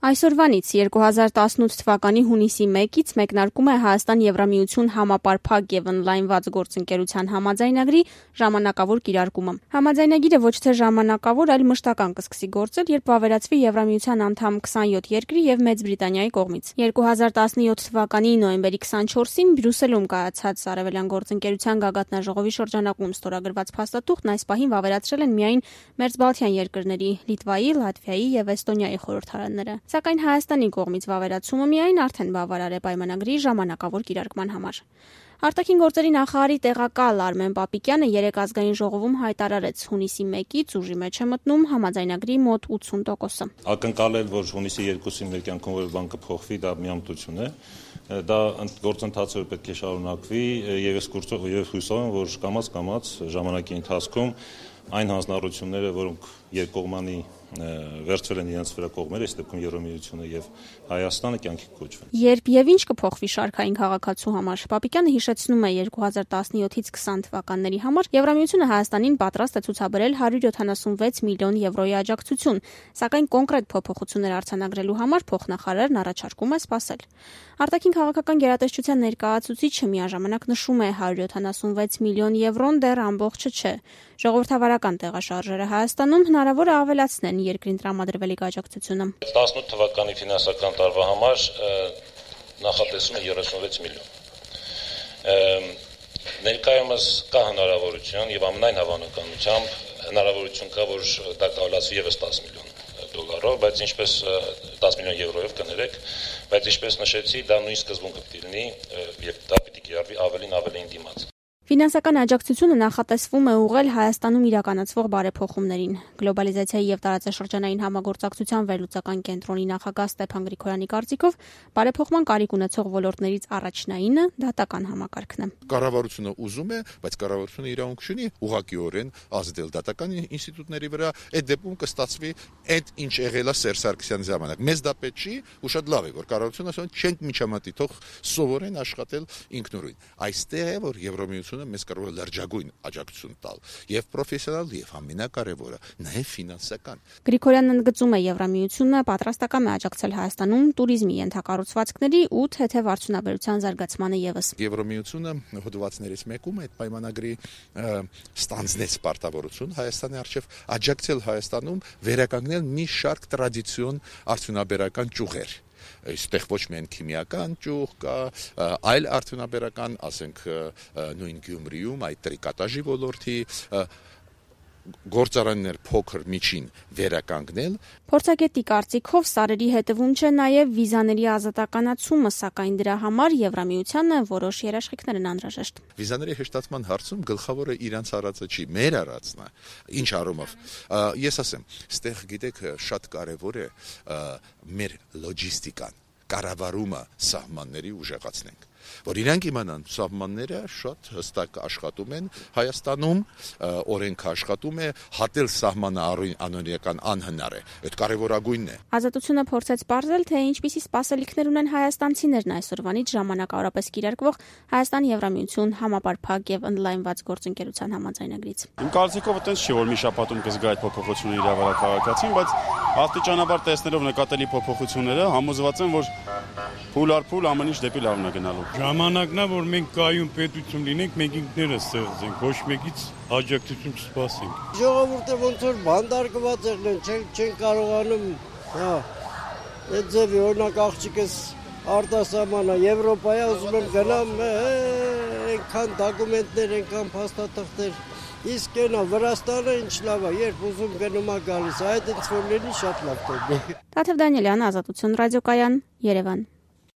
Այսօրվանից 2018 թվականի հունիսի 1-ից մեկնարկում է Հայաստան-Եվրամիություն համապարփակ եւ օնլայնված գործընկերության համաձայնագրի ժամանակավոր կիրարկումը։ Համաձայնագիրը ոչ թե ժամանակավոր, այլ մշտական կսկսի գործել, երբ վավերացվի Եվրամիության անդամ 27 երկրի եւ Մեծ Բրիտանիայի կողմից։ 2017 թվականի նոյեմբերի 24-ին Բրյուսելում կայացած Արևելյան գործընկերության գագաթնաժողովի շրջանակում ստորագրված փաստաթուղթն այս պահին վավերացրել են միայն Մերձբալթյան երկրների՝ Լիտվայի, Լատվիայի եւ Էստոնիայի խորհրդարանները։ Սակայն Հայաստանի կողմից վավերացումը միայն արդեն բավարար է պայմանագրի ժամանակավոր կիրարկման համար։ Արտաքին գործերի նախարարի տեղակալ Արմեն Պապիկյանը երեկ ազգային ժողովում հայտարարեց, հունիսի 1-ից ուժի մեջ է մտնում համաձայնագրի մոտ 80%-ը։ Ակնկալել, որ հունիսի 2-ին մեր կյանքում որ բան կփոխվի, դա միամտություն է։ Դա գործընթացը պետք է շարունակվի եւ հույսով եմ, որ կամաց ժամանակի ընթացքում այն հանձնառությունները, որոնք երկկողմանի վերցվել են իրենց վրա կողմերը, այս դեպքում Եվրամիությունը եւ Հայաստանը կյանքի կոչվեն։ Երբ եւ ինչ կփոխվի շարքային քաղաքացու համար, Պապիկյանը հիշեցնում է 2017-ից 20 թվականների համար Եվրամիությունը Հայաստանին պատրաստ է ցուցաբերել 176 միլիոն եվրոյի աջակցություն, սակայն կոնկրետ փոփոխություններ արձանագրելու համար փոխնախարարն առաջարկում է սպասել։ Արտաքին քաղաքական գերատեսչության ներկայացուցիչը միաժամանակ նշում է 176 միլիոն եվրոն դեռ ամբողջը չէ։ Ժողովրդավարական տեղաշարժերը Հայաստանում հնարավոր է ավելացնեն երկրին տրամադրվելիք աջակցությունը։ 18 թվականի ֆինանսական տարվա համար նախատեսում է 36 միլիոն։ Ներկայումս կա հնարավորություն եւ ամենայն հավանականությամբ հնարավորություն կա, որ դա կավելացվի եւս 10 միլիոն դոլարով, բայց ինչպես 10 միլիոն եվրոյով կներեք, բայց ինչպես նշեցի, դա նույն սկզբունքը պիտի լինի եւ դա պիտի կիրառվի ավելին դիմաց։ Ֆինանսական աջակցությունը նախատեսվում է ուղղել Հայաստանում իրականացվող բարեփոխումներին։ Գլոբալիզացիայի եւ տարածաշրջանային համագործակցության վերլուծական կենտրոնի նախագահ Ստեփան Գրիգորյանի կարծիքով բարեփոխման կարիք ունեցող ոլորտներից առաջնայինը դատական համակարգն է։ Կառավարությունը ուզում է, բայց կառավարությունը իրավունք չունի ուղղակիորեն ազդել դատական ինստիտուտների վրա, այդ դեպքում կստացվի այդ ինչ եղել է Սերժ Սարգսյանի ժամանակ։ Մեզ դա պետք չի, ու շատ լավ է, որ կառավարությունը ասում է չենք միջամտի, թող սովորեն աշխատել ինքնուրույն։ Այստեղ է, որ Եվրամիությունը մեզ կարող է լրջագույն աջակցություն տալ եւ պրոֆեսիոնալ եւ ամենակարևորը նաեւ ֆինանսական։ Գրիգորյանն ընդգծում է Եվրամիությունը պատրաստական է աջակցել Հայաստանում туриզմի ենթակառուցվածքների ու թեթև արդյունաբերության զարգացմանը եւս։ Եվրամիությունը հոդվածներից մեկում այդ պայմանագրի ստանձնեց պարտավորություն Հայաստանի արչեւ աջակցել Հայաստանում վերականգնել մի շարք տրադիցիոն արդյունաբերական ճյուղեր։ Այստեղ ոչ միայն քիմիական ճյուղ կա, այլ արդյունաբերական, ասենք նույն Գյումրիում այդ տրիկատաժի ոլորտի գործարաններ փոքր միջին վերականգնել։ Փորձագետի կարծիքով սարերի հետևում չէ նաև վիզաների ազատականացումը, սակայն դրա համար Եվրամիությանը որոշ երաշխիքներ են անհրաժեշտ։ Վիզաների հեշտացման հարցում գլխավորը իրանց արածը չի, մեր արածն է։ Ինչ առումով։ Ես ասեմ, ստեղ գիտեք շատ կարևոր է մեր լոջիստիկան, կառավարումը սահմանների ուժեղացնենք, որ իրանք իմանան սահմանները շատ հստակ աշխատում են Հայաստանում, օրենքը աշխատում է, հատել սահմանը անօրինական անհնար է, այդ կարևորագույնն է։ Ազատությունը փորձեց պարզել, թե ինչպիսի սպասելիքներ ունեն հայաստանցիներն այսօրվանից ժամանակավորապես կիրարկվող Հայաստան-Եվրամիություն համապարփակ եւ օնլայնված գործընկերության համաձայնագրից։ Իմ կարծիքով այտենց չի, որ մի շաբաթում կզգա այդ փոփոխությունը իրավարար քաղաքացին, բայց աստիճանաբար տեսնելով նկատելի փոփոխությունները համոզված եմ, որ փուլ առ փուլ ամեն ինչ դեպի լավն է գնալու։ Ժամանակն է, որ մենք կայուն պետություն լինենք, մենք ինքներս ստեղծենք, ոչ մեկից աջակցություն չսպասենք։ Ժողովուրդը ոնց որ բանդարկված եղնեն, չեն կարողանում, այդ ձևի օրինակ աղջիկս արտասահմանա Եվրոպայա ուզում եմ գնամ, այնքան դոկումենտներ, այնքան փաստաթղթեր, իսկ այնա Վրաստանը ինչ լավ է, երբ ուզում գնում է գալիս, այդ ինձ որ լինի շատ լավ կլինի։ Տաթև Դանիելյան, Ազատություն ռադիոկայան, Երևան։